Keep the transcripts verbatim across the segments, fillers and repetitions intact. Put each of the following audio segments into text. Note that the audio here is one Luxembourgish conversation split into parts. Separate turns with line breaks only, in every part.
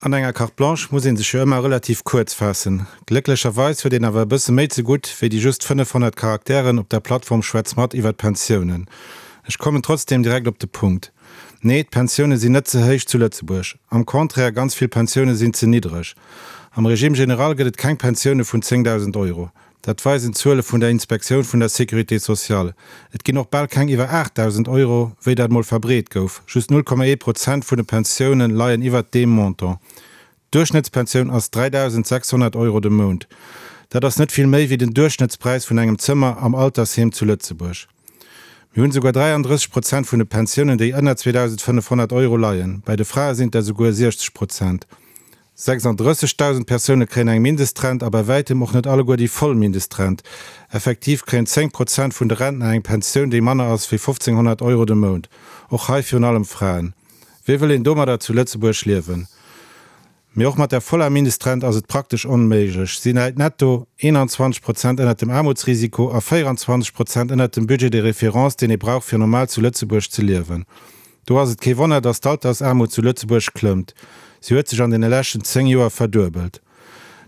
An enger Carte Blanche muss ee sech jo ëmmer relativ kuerz faassen. Glécklecherweis huet een awer e bësse méi ze gutt wéi déi just fënnefhonnert Charakteren op der Plattform Schwätz mat iwwer d'Pensiounen. Ech kommen trotzdeem direkt op de Punkt. Nee, d'Pensioune sinn net ze héich zu Lëtzebuerg. Am Contraire, ganz vill Pensioune sinn ze niddreg. Am Régime général gëtt et keng Pensioune vun zéngdausend Euro. Dat weisen d'Zuele vun der Inspektioun vun der Sécurité sociale. Et ginn och bal keng iwwer aachtdausend Euro, wéi dat mol verbreet gouf. Just null Komma ee Prozent vun de Pensioune leien iwwert deem Montant. D'Duerchschnëttspensioun ass dräidausend sechshonnert Euro de Mount. Dat ass net vill méi wéi den Duerchschnëttspräis vun engem Zëmmer am Altersheem zu Lëtzebuerg. Mir hunn esouguer dräiandrësseg Prozent vun de Pensiounen, déi ënner zweedausendfënnefhonnert Euro leien. Bei de Frae sinn et der esouguer siechzeg Prozent. Sechsandrëssegdausend Persoune kréien eng Mindestrent a bei wäitem och net alleguer déi voll Mindestrent. Effektiv kréien zéng Prozent vun de Rentner eng Pensioun, déi manner ass wéi fofzénghonnert Euro de Mount. Och hei virun allem Fraen. Wéi wëll een domadder zu Lëtzebuerg liewen? Mee och mat der voller Mindestrent ass et praktesch onméiglech. Si läit netto eenanzwanzeg Prozent ënnert dem Aarmutsrisiko a véieranzwanzeg Prozent ënnert dem Budget de référence, deen ee brauch fir normal zu Lëtzebuerg ze liewen. Do ass et kee Wonner, datt d'Altersaarmut zu Lëtzebuerg klëmmt. Si huet sech an deene leschten zéng Joer verduebelt.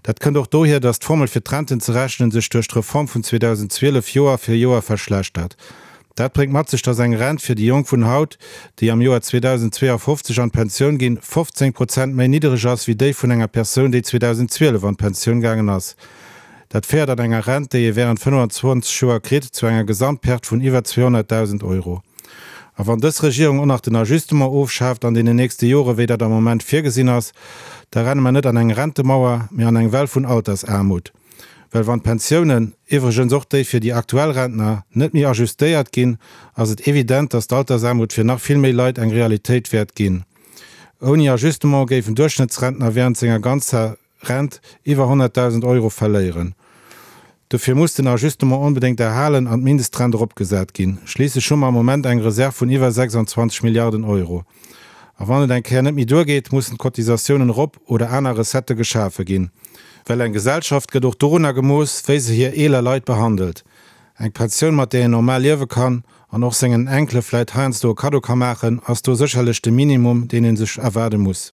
Dat kënnt och dohier, datt d'Formel fir d'Renten ze rechnen sech duerch d'Reform vun zweedausendzwielef Joer fir Joer verschlechtert. Dat bréngt mat sech, datt eng Rent fir déi Jonk vun haut, déi am Joer zweedausendzweeafofzeg an d'Pensioun ginn, fofzéng Prozent méi niddereg ass wéi déi vun enger Persoun, déi zweedausendzwielef an d'Pensioun gaangen ass. Dat féiert an enger Rent, déi ee wärend fënnfanzwanzeg Joer kritt, zu enger Gesamtperte vun iwwer zweehonnertdausend Euro. A wann dës Regierung och nach den Ajustement ofschaaft an deenen nächste Jore, wéi dat am Moment virgesinn ass, da renne mer net an eng Rentemauer, mee an eng Well vun Altersaarmut. Well wann d'Pensiounen, iwwregens och déi fir déi aktuell Rentner, net méi ajustéiert ginn, ass et evident, dass d'Altersaarmut fir nach vill méi Leit eng Realitéit wäert ginn. Ouni Ajustement géif en Duerchschnëttsrentner wärend senger ganzer Rent iwwer honnertdausend Euro verléieren. Dofir muss den Ajustement onbedéngt erhalen an d'Mindestrent eropgesat ginn. Schliisslech hu mer am Moment eng Reserv vun iwwer sechsandzwanzeg Milliarden Euro. A wann et eng Kéier net méi duergeet, mussen d'Cotisatiounen erop oder aner Recettë geschafe ginn. Well eng Gesellschaft gëtt och dorunner gemooss, wéi se hir eeler Leit behandelt. Eng Pensioun, mat där een normal liewe kann an och sengen Enkele vläit heiansdo e Kaddo ka maachen, ass do sécherlech de Minimum, deen ee sech erwaarde muss.